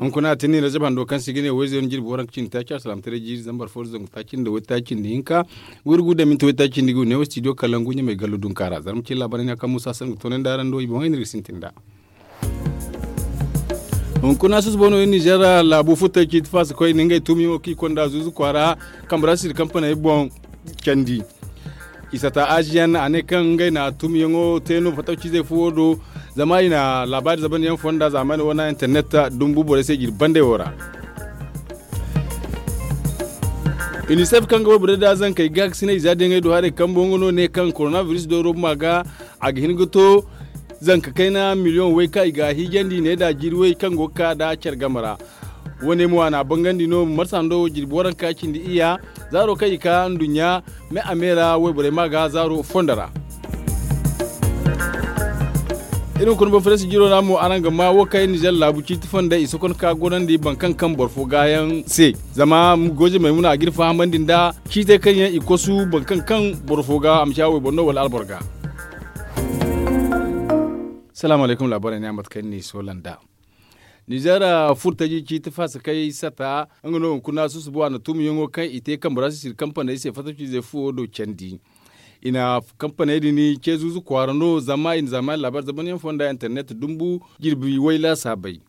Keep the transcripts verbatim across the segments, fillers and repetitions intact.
Hunkuna a tinni razab hando kaŋ se i ga ne wayze yaŋ jirbi waranka cindi taaci alsalaamataray jiiri zambar fo da zangu taaci nda waytaaci nda hinka, wayrugu da minti waytaaci nda ga ne wo studio kalangu ɲamay gallo dunka ra zarma cine laabaray no kaŋ musa san ga toonandi araŋ do i boŋey no iri ga sintin nd'a. Hunkuna susubo no iri nizeer laabu futtey ciiti faasa koyne ngey tumiyaŋo kaŋ i konda zuuzu kwaara kambe ra siri kampaney boŋ candi. I sata aziyan a ne kaŋ ngey na tumiyaŋo te no fatawcizey fuwo do. Zama i na laabaari zabanyaŋ fonda zamani wane internet dumbu borey se jiri bandey wo ra. Unicef kaŋ ga wayborey da zankey gaakasinay i za diyaŋey do haray kambo nga no ne kaŋ coronavirus dooro buma ga a ga hin ga to zanka kayna miliyoŋ way kaŋ i ga a hiijandi ne da jiiri way kaŋ go ga ka da care game ra. Wo- ne mo a na a bangandi no marsa hando wo jirbi waranka cindi iyya zaaro kaŋ i ka nduɲɲa me a me ra wayborey ma ga zaaro fondo ra. Iri hunkuna boŋ farasi jiro ra mo araŋ ga ma wo kaŋ iri nizeer laabu ciiti fonda i sokon ka gorandi boro kaŋ kaŋ boro fo ga yaŋ se. Zama goje maymuna a ga iri fahamandi nda ciitey kaŋ yaŋ i kosu boro kaŋ kaŋ boro fo ga a ma ci a wayboro no wala alboro ga. Salaamu alaykum laabaray ne a mate kaŋ ni soola nd'a. Nizeer furtaji ciiti faasa kay sata nga no hunkuna susubo a na tumiyaŋo kaŋ i te kambe ra sisiri kampaney se fatawcizey fuwo do candi. I na kampaney din ce zuuzu kwaara no zama i na zamani laabaari zamanyaŋ fonda internet dumbu jirbi way laasaabey.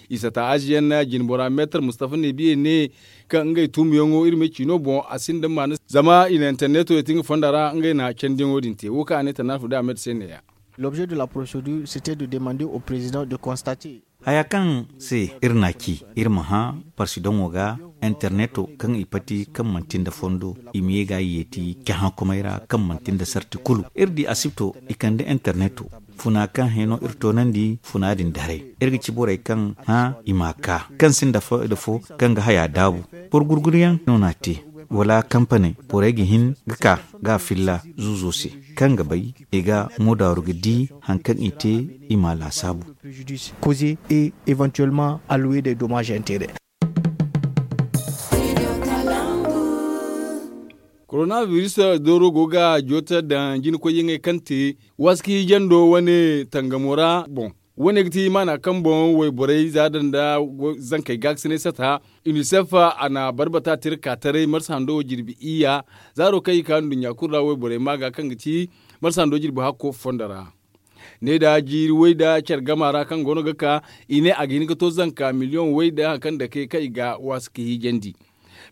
I sata aziyan jinbora meetar mustafa nebiye ne kaŋ ngey tumiyaŋo iri ma ciino boŋ a sinda maana zama i na interneto ye ti nga fonda ra ngey na candiyaŋo din te wo kaŋ a ne tanafu da ahmed se neeya. L'objet de la procédure, c'était de demander au président de constater. Haya kaŋ se iri n'a ci iri ma hã parsidoŋo ga interneto kaŋ i pati kaŋ manti nda fondo i ma ye ga yeeti cahãkomey ra kaŋ manti nda sarti kulu iri di asibto i kande interneto funa kaŋ hẽ no iri toonandi funa din daray. Iri ga ci borey kaŋ hã i m'a ka kaŋ sinda fo kaŋ ga haya daabu boro gurguruyaŋ no n'a te wala kampaney borey ga hin ga ka ga a filla zuuzo se kaŋ ga bay i ga moodaaru ga di haŋ kaŋ i te i m'a laasaabu. Causer et éventuellement allouer des dommages et intérêts. Koronabiris dooro go ga joota daŋ jinakoyyaŋey kaŋ te waski jando wane tangamo ra boŋ. Wane ga ti maana kaŋ boŋ wayborey za daŋ nda zankey gaakasinay sata. Unicef a na barbata tira ka taray marsa hando wo jirbi iyya zaaro kaŋ i ka nduɲɲa kulu ra wayborey ma ga kaŋ ga ti marsa hando jirbi hakko fondo ra. Ne da jiiri way da care gama ra kaŋ go no ga ka i ne a ga hin ga to zanka miliyoŋ way da haŋ kaŋ dake kaŋ i ga waasi ka hiijandi.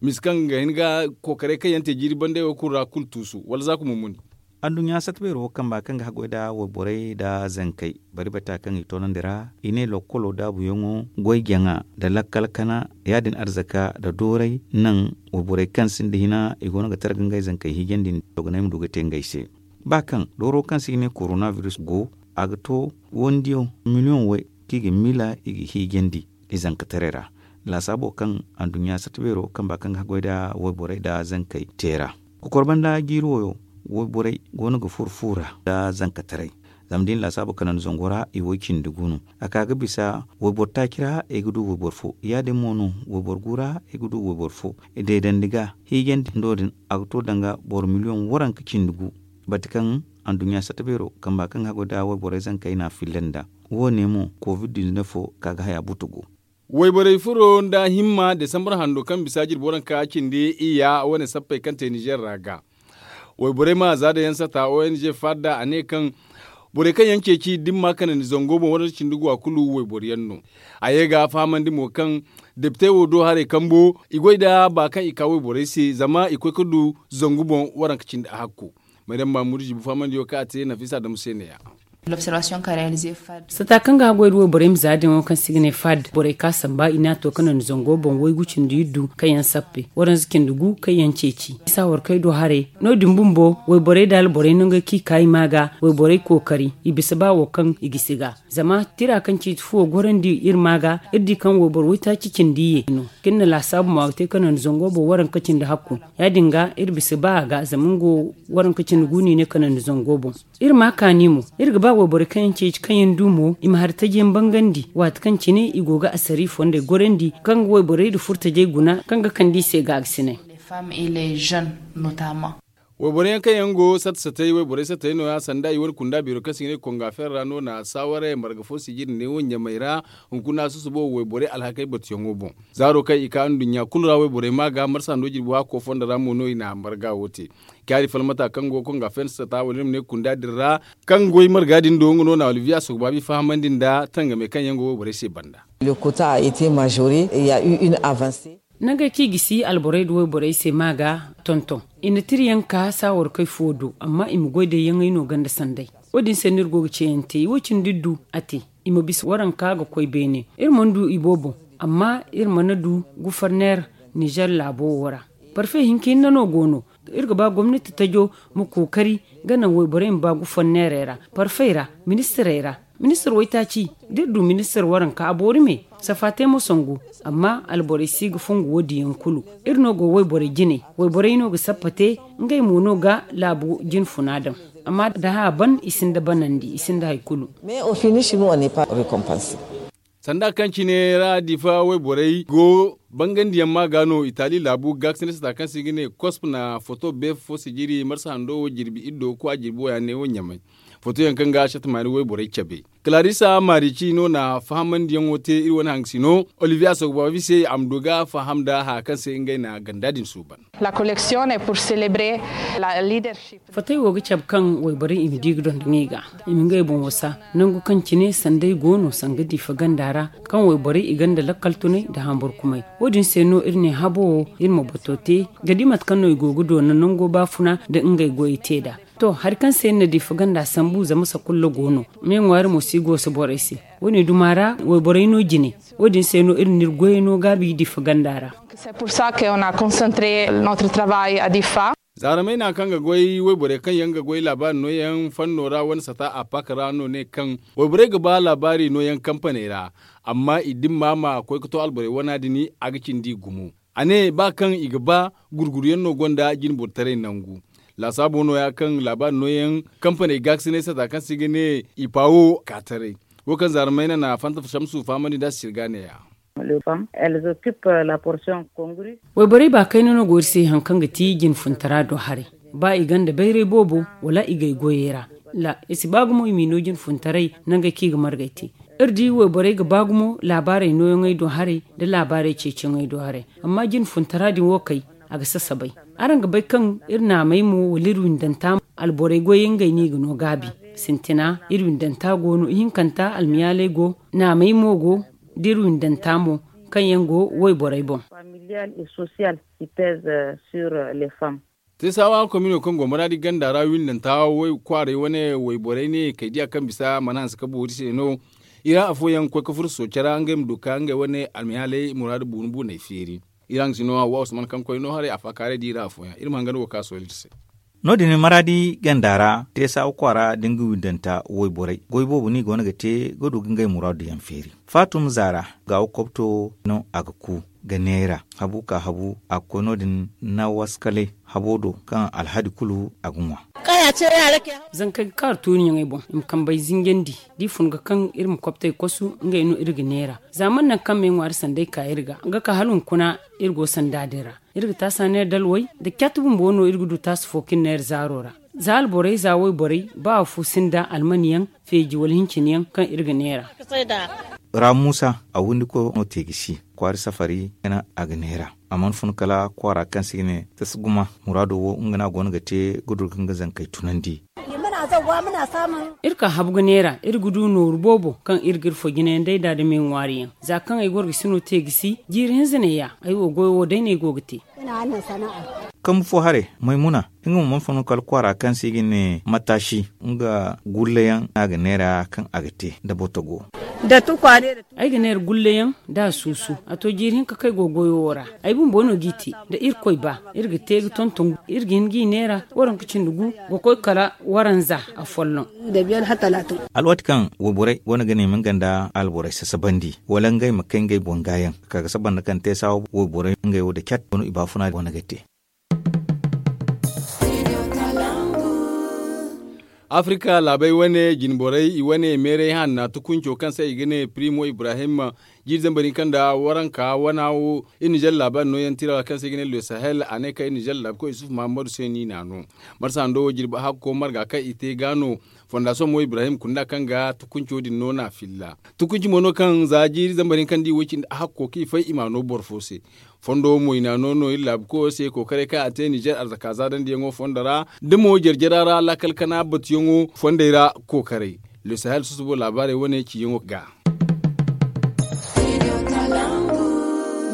Misa kaŋ ga hin ga kookaray kaŋ yaŋ te jiiri banday wo kulu ra kulu tuusu wala za ka mummuni. Anduɲɲa sata beero kamba kaŋ ga haggoy nda wayborey nda zankey bari bata kaŋ i toonandi ra i ne lokkolo daabuyaŋo goy jaŋa nda lakkal kana ya- din arzaka nda dooray naŋ wayborey kaŋ sinda hina i go no ga targa ngey zankey hiijandi nda dogonay ma du ga te ngey se. Ba kaŋ dooro kaŋ se i ne koronabiris go a ga to wandiyo miliyoŋ way kaŋ i ga miila i ga hiijandi i zankataray ra. Laasaabo kaŋ anduɲɲa sarta beero kamba kaŋ ga haggoy nda wayborey nda zankey te ra. Kokor banda jiiri wayo wayborey go no ga furo fu ra nda zankataray. Zama da i na laasaabo kanandi zango ra i way cindi gu no a ka ga bisa wayboro taaci ra i ga du wayboro fo ya- din mo no wayboro gu ra i ga du wayboro fo. Deedandi ga hiijandi hindo din a ga to danga boro miliyoŋ waranka cindi gu. Bate kaŋ anduɲɲa sarta beero kamba kaŋ ga haggoy nda wayborey zankey na a filla nda wo- ne mo covid dizinef wo ka ga haya butu go. Wayborey furo nda himma desambar hando kaŋ bisa jirbi waranka cindi iyya wane sappey kaŋ te nizeer ra ga wayborey ma za daŋ yaŋ sata ong fadda a ne kaŋ borey kaŋ yaŋ ceeci da ni ma kanandi zango boŋ waranka cindi gu a kulu wayboro yaŋ no. A ye ga fahamandi mo kaŋ depite wo do haray kambo i goy nda ba kaŋ i ka wayborey se zama i koy ga du zangu boŋ waranka cindi a hakko. Maryam mamudu zibu fahamandiyo kaŋ a te nafisa adamu se neeya. Sata kaŋ ga haggoy nda wayborey ma za daŋo kaŋ se i ga ne fad borey ka samba i n'a to ka naŋ zango boŋ waygu cindi iddu kaŋ yaŋ sappe waranza cindi gu kaŋ yaŋ ceeci isa warkey do haray. No- din bumbo wayborey nda alborey nangu kaŋ i ka i ma ga wayborey kookari i bisa ba wo kaŋ i gisi ga. Zama tira kaŋ ciiti fuwo gorandi iri ma ga iri di kaŋ wayboro waytaaci cindi ye no kaŋ iri na laasaabu mo a ga te ka naŋ zango boŋ waranka cindi hakku. Ya- din ga iri bisa ba a ga zama nga wo waranka cindi gu no i ne ka naŋ zango boŋ. Iri ma kaani mo iri ga ba wayborey kaŋ yaŋ ceeci kaŋ yaŋ du mo i ma hari taji yaŋ bangandi waati kaŋ cine i go ga asari fondey gorandi kaŋ ga wayborey nda furtajey guna kaŋ ga kande i se gaagasinay. Wayborey yaŋ kaŋ yaŋ go satta sattey wayborey sattey no- ya sanda i wane kunda beero kaŋ se i ga ne konga feera ra no na saawaray marga fo sijiri ne wo ɲamey ra. Hunkuna susubo wayborey alhakey batuyaŋo boŋ. Zaaro kaŋ i ka nduɲɲa kulu ra wayborey ma ga marsa hando jirbi waako fondo ra mo no i na marga wo te. Kaari falmata kaŋ go konga feera satta wala i ma ne kunda din ra, kaŋ goy marga din do nga no na olivier asogbabi fahamandi nda tangamey kaŋ yaŋ go wayborey se banda. Nangey kaŋ i gisi alborey nda wayborey se ma ga tonton. I na tiriyaŋ ka saawarkey fo do amma i ma goy day yaŋey no ganda sanday. Wo- din se no iri go ga ceeyaŋ te i wo- cindi iri du a te. I ma bisa waranka ga koy beene iri mana du i boobo. Amma iri mana du guforneer nizer laabo wo ra. Parfe hinka hinne no go no. Iri ga ba gomnati tajo ma kookari ga naŋ wayborey ma ba guforneerey ra, parfey ra, ministirey ra. Ministir waytaaci da iri du ministir waranka a boori me. Safa te mo sangu. Amma alborey si ga fongu wo- din yaŋ kulu. Iri no go wayborey jine. Wayborey no ga sappa te. Ngey mo no ga laabu jinfuna daŋ. Amma da hã ban i sinda banandi i sinda hari kulu. Sanda kaŋ cine ra difa wayborey go bangandiyaŋ ma ga no itali laabu gaakasine sata kaŋ se i ga ne kosp na foto beefo fo sijiri marsa hando wo jirbi iddo kwa jirbi wo ya ne wo ɲamay. Fotoyaŋ kaŋ ga shatamaani wayborey cabe. Kalaarisa maarici no na fahamandiyaŋo te iri wane hangasino. Olivier asogbabi se a ma du ga faham nda haya kaŋ se ngey na ganda din suuban. Fatey wo ga cabe kaŋ wayborey i ma di ga dondoŋ i ga i ma ngey boŋ wasa. Nangu kaŋ cine sanday go no sanga diifa ganda ra kaŋ wayborey i gonda lakkal tunay nda hamburkumay. Wo- din se no iri ne habo wo iri ma bato te ga di mate kaŋ no i go ga doona nango baafuna nda ngey goyey te nd'a. To hari kaŋ se iri na diifa ganda sambu zama sakulla go no. Me ŋwaari mo si goosa borey se. Wo- ne duma ra wayborey no jine. Wo- din se no iri na iri goyey no gaabi diifa ganda ra. Zaaramey na kaŋ ga goy wayborey kaŋ yaŋ ga goy laabaari nooyaŋ fanno ra wane sata a paaka ra no ne kaŋ wayborey ga ba laabaari nooyaŋ kampaney ra. Amma i dimma ma koy ga to alborey wana din a ga cindi gumo. A ne ba kaŋ i ga ba gurguruyaŋ no gonda jinbortaray nangu. Laasaabo nooya kaŋ laabaari nooyaŋ kampaney gaakasinay sata kaŋ se i ga ne i paawo ka taray. Wo kaŋ zaaramey na na fanta shamsu fahamandi nda a si sirga neeya. Wayborey ba kayna no go iri se hari kaŋ ga ti jinfuntara do haray. Ba i gonda bayray boobo wala i gay goyey ra. I si ba gumo i m'i no jinfuntaray nangey kaŋ i ga margay te. Iri di wayborey ga ba gumo laabaarey nooyaŋey do haray nda laabaarey ceeciyaŋey do haray. Amma jinfuntara din wo kay a ga sasabay. Araŋ ga bay kaŋ iri naamey mo wala iri windanta mo alborey goyey ngey no i ga no gaabi. Sintina iri windanta go no ihinkanta almiyaaley go. Naamey mo go da iri windanta mo kaŋ yaŋ go wayborey boŋ. Teesawa komino kaŋ go maraadi ganda ra windanta kwaaray wane wayborey ne kay diya kaŋ bisa mana hanse ka boori se no. I ra afooyaŋ koy ka furo sooca ra ngey ma du ka ngey wane almiyaaley muraadu buunu buuney feeri. Iri haŋ si no hawa usman kaŋ koy no haray a faakaaray da i ra afooyaŋ iri ma hanga no go ka sohõ iri se. No- din maraadi ganda ra teesawa kwaara da nga windanta wayborey goy boobo no i go no ga te ga du ga ngey muraadu yaŋ feeri. Faatum zaara gaawo kobto no a ga ku ga neera habu ka habu a ga koy no- din na waskalay habo do kaŋ alhadi kulu a ga ŋwa. Zankey ga kaaru tuuriyaŋey boŋ i ma kambey zinjandi da i fun ga kaŋ iri ma kobtey kosu ngey no iri ga neera. Za mana naŋ kaŋ me ŋwaari sanday ka iri ga ga ka hala hunkuna iri go sanda din ra. Iri ga taasa neera dalwey nda cat bumbo no iri ga du taasa fo kaŋ iri neera zaaro ra. Za alborey za wayborey ba afo sinda almaniyaŋ feeji wala hinciniyaŋ kaŋ iri ga neera. Ra muusa a windi ko no te ga si kwaari safari gana a ga neera. A mana fun kala kwaara kaŋ se i ga ne tasa guma muraado wo nga no a go no ga te ga du ga nga zankey tunandi. Iri ka habu ga neera iri ga du nooru boobo kaŋ iri ga iri fo jinayaŋ day nd'a da me ŋwaariyaŋ. Za kaŋ ay gorgasino te ga si jiiri hinza neeya ay wo goyo wo day no ay go ga te. Kambu fo haray maymuna nga mo mana fun kala kwaara kaŋ se i ga ne mataasi nga gulleyaŋ no a ga neera kaŋ a ga te nda botogo. Ay ga neera gulleyaŋ da a suusu a to jiiri hinka kaŋ ay go goyo wo ra. Ay bumbo no g'i te da irkoy ba iri ga te ga tonton iri ga hin g'i neera waranka cindi gu ga koy kala waranza afolloŋ. Alwaati kaŋ wayborey go no ga ne ma nga nda alborey sasabandi wala ngey ma kay ngey boŋ gaayaŋ ka ga saba nda kaŋ te saawa wayborey ngey wo da cat go no i baafuna go no ga te. Afrika laabey wane jinborey i wane meeray hanna tukunco kaŋ se i ga ne primo ibrahim Jiiri zambar hinka nda waranka wana wo, iri nizer laabaari nooyaŋ tira ra kaŋ se i ga ne le sahel a ne kaŋ iri nizer laabu koy isufu mahammadu se no i n'a no. Marsa hando wo jirbi hakko marga kaŋ i te ga no. Fondasoŋ mo ibrahim kunda kaŋ ga tukunco din no n'a filla. Tukunci mo no kaŋ za jiiri zambar hinka nda i wo cindi hakko kaŋ i fay i m'a no boro fo se. Fondo wo mo i n'a no no iri laabu koyo se kookaray kaŋ a te nizer arzaka zaadandi yaŋo fondo ra, da mo jarjara ra laakal kana batuyaŋo fondey ra kookaray. Le sahel susubo laabaarey wane ciyaŋo ga.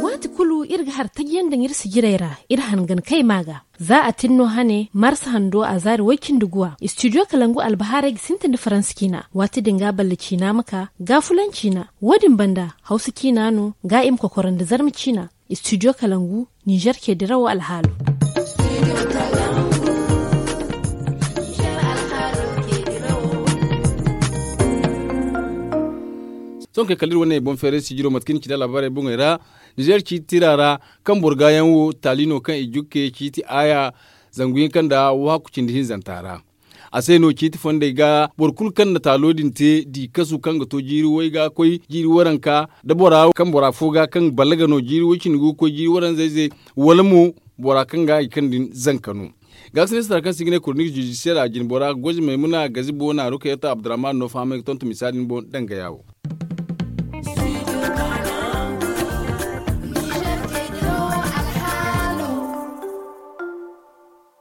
Waati kulu iri ga har taji yaŋ daŋ iri sijirey ra, iri hangan kay ma ga. Za a tin no hane marsa hando a zaari way-cindi guwa istidiyo kalangu albahaarey ga sintin da faransa ciina. Waati din ga balla ciina ma ka gaafulaŋ ciina. Wo- din banda hawsa ciina no ga i ma kokorandi zarma ciina. Istidiyo kalangu nizer ce dirawo alhaalo. Sohõ kay kala iri wane boŋ feeray sijiro mate kaŋ ni ci nda laabaarey boŋey ra. Nizer ciiti tira ra kaŋ boro gaayaŋ wo taali no kaŋ i jukke ciiti aaya zangu hinka nda wahakku cindi hinzanta ra. A se no ciiti fondey ga boro kulu kaŋ na taalo din te di kasu kaŋ ga to jiiri way ga koy jiiri waranka da bora kaŋ bora fo ga kaŋ balaga no jiiri way cindi go ga koy jiiri waranza ize wala mo bora kaŋ ga i kaŋ din zanka no. Gaakasinay sitara kaŋ se i ga ne koronik judisiyar a jine bora gozi maymuna gazibo na rukayata abdurrahman no fahamay ga tonto misaali ni boŋ dangaya wo.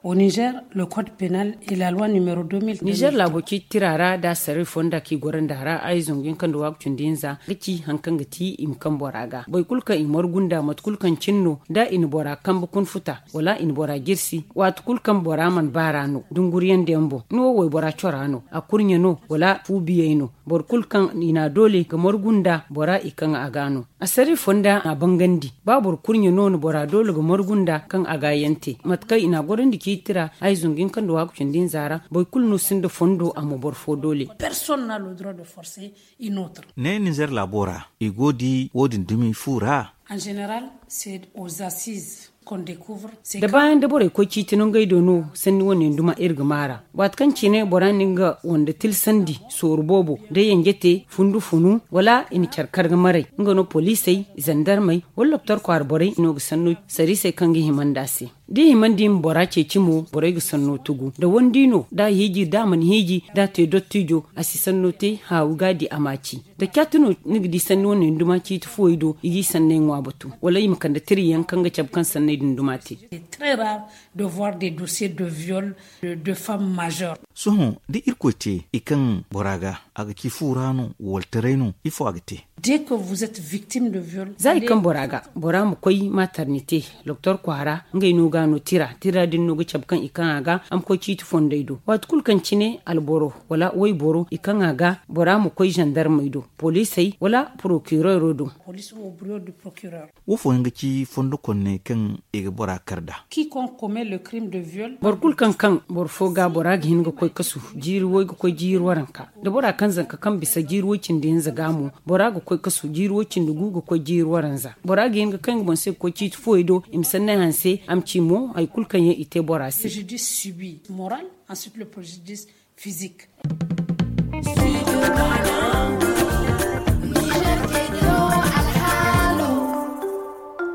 Au nizer le code penal et la loi numéro deux mille. Nizer laabo ciiti tira ra da saray fonda kaŋ i goro nda ra ay zangu yaŋ kaŋ da waagu cindi hinza ga ci hari kaŋ ga ti i ma kaŋ bora ga boro kulu kaŋ i margu nda mate kulu kaŋ cine no da i na bora kambe kuna futa wala i na bora jirsi waati kulu kaŋ bora mana baara no dunguriyaŋ da yaŋ boŋ ni wo waybora cora no a kurɲe no wala fu biyey no. Boro kulu kaŋ i na a doole ga margu nda bora i kaŋ a ga no. Asari fonda a bangandi ba boro kurɲe no na bora doole ga margu nda kaŋ a ga yaŋ te mate kaŋ i na a gorandi ciiti ra ay zangu yaŋ kaŋ da waagu cindi hinza ra boro kulu no sinda fondo a ma boro fo doole. Personne n'a le droit de forcer une autre. Ne nizer laabo ra i go di wo- din dumi fu ra. En général c'est aux assises qu'on découvre. Da baayaŋ da borey koy ciiti no ngey do no sanni wane yaŋ duma iri ga maara waati kaŋ cine bora na nga wande tilsandi sooru boobo da yanje te fundu funu wala i na care kar ga maray nga no poliisey zandarmey wala doktor kwaara borey no ga sanno sariisey kaŋ ga hima nd'a se. Da i himandi i ma bora ceeci mo borey ga sanno tugu da wandi no da a hiiji da a mana hiiji da a te dottijo a si sanno te haawi ga a di a ma a ci. Da caati no ni ga di sanni wane yaŋ duma ciiti fuwey do i g'i sanney ŋwa batu wala i ma kande tiriyaŋ kaŋ ga cabe kaŋ sanney din duma te. Très rare de voir des dossiers de viol de femmes majeures. Sohõ da irkoy te i kaŋ bora ga a ga ci fu ra no wala taray no ifo a ga te? Dès que vous êtes victime de viol za i kaŋ bora ga bora ma koy maternité doktor kwaara ngey no ga a no tira tira din no ga cabe kaŋ i kaŋ a ga a ma koy ciiti fondey do waati kulu kaŋ cine alboro wala wayboro i kaŋ a ga bora ma koy zandarmey do poliisey wala porokireero do. Police ou au bureau du procureur. Wo fooyaŋ ga ci fondo konney kaŋ i ga bora kar nd'a. Quiconque commet le crime de viol. Boro kulu kaŋ kaŋ boro fo ga bora ga hin ga koy kasu jiiri way ga koy jiiri waranka da bora kaŋ zanka kaŋ bisa jiiri way cindi hinza ga mo bora ga koy kasu jiiri way cindi gu ga koy jiiri waranza bora ga hin ga kaŋ ga boŋ se ga koy ciiti fuwey do i ma sanney hanse a ma ci mo hari kulu kaŋ yaŋ i te bora se. Préjudice subi moral, ensuite le préjudice fizik.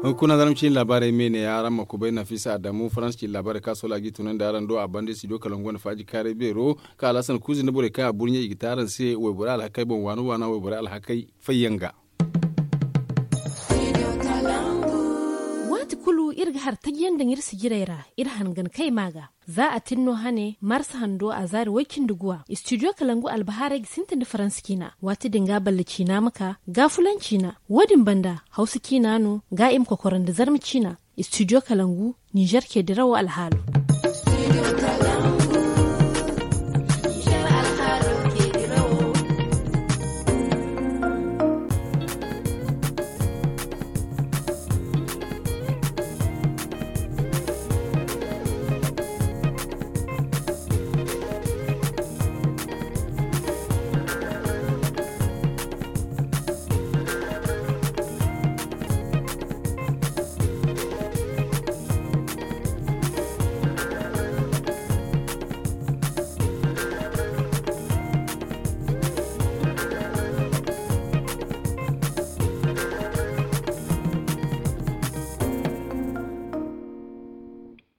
Hunkuna zarma ciine laabaarey me ne ya araŋ ma kubay nafisa adamu faransa ciine laabaarey kaŋ a sola ga i tunandi araŋ do a banda studio kalangu wane faaji kaaray beero kaŋ alhasan kuuzi nda borey kaŋ a burɲe i ga te araŋ se wayborey alhakey boŋ waana waana wayborey alhakey fayyaŋ ga. Waati kulu iri ga har taji yaŋ daŋ iri sijirey ra iri hangan kay ma ga. Za a tin no hane marsa hando a zaari way-cindi guwa istidiyo kalangu albahaarey ga sintin da faransa ciina waati din ga balla ciina ma ka gaafulaŋ ciina. Wo- din banda hawsa ciina no ga i ma kokoro nda zarma ciina. Istidiyo kalangu nizer ce dirawo alhaalo.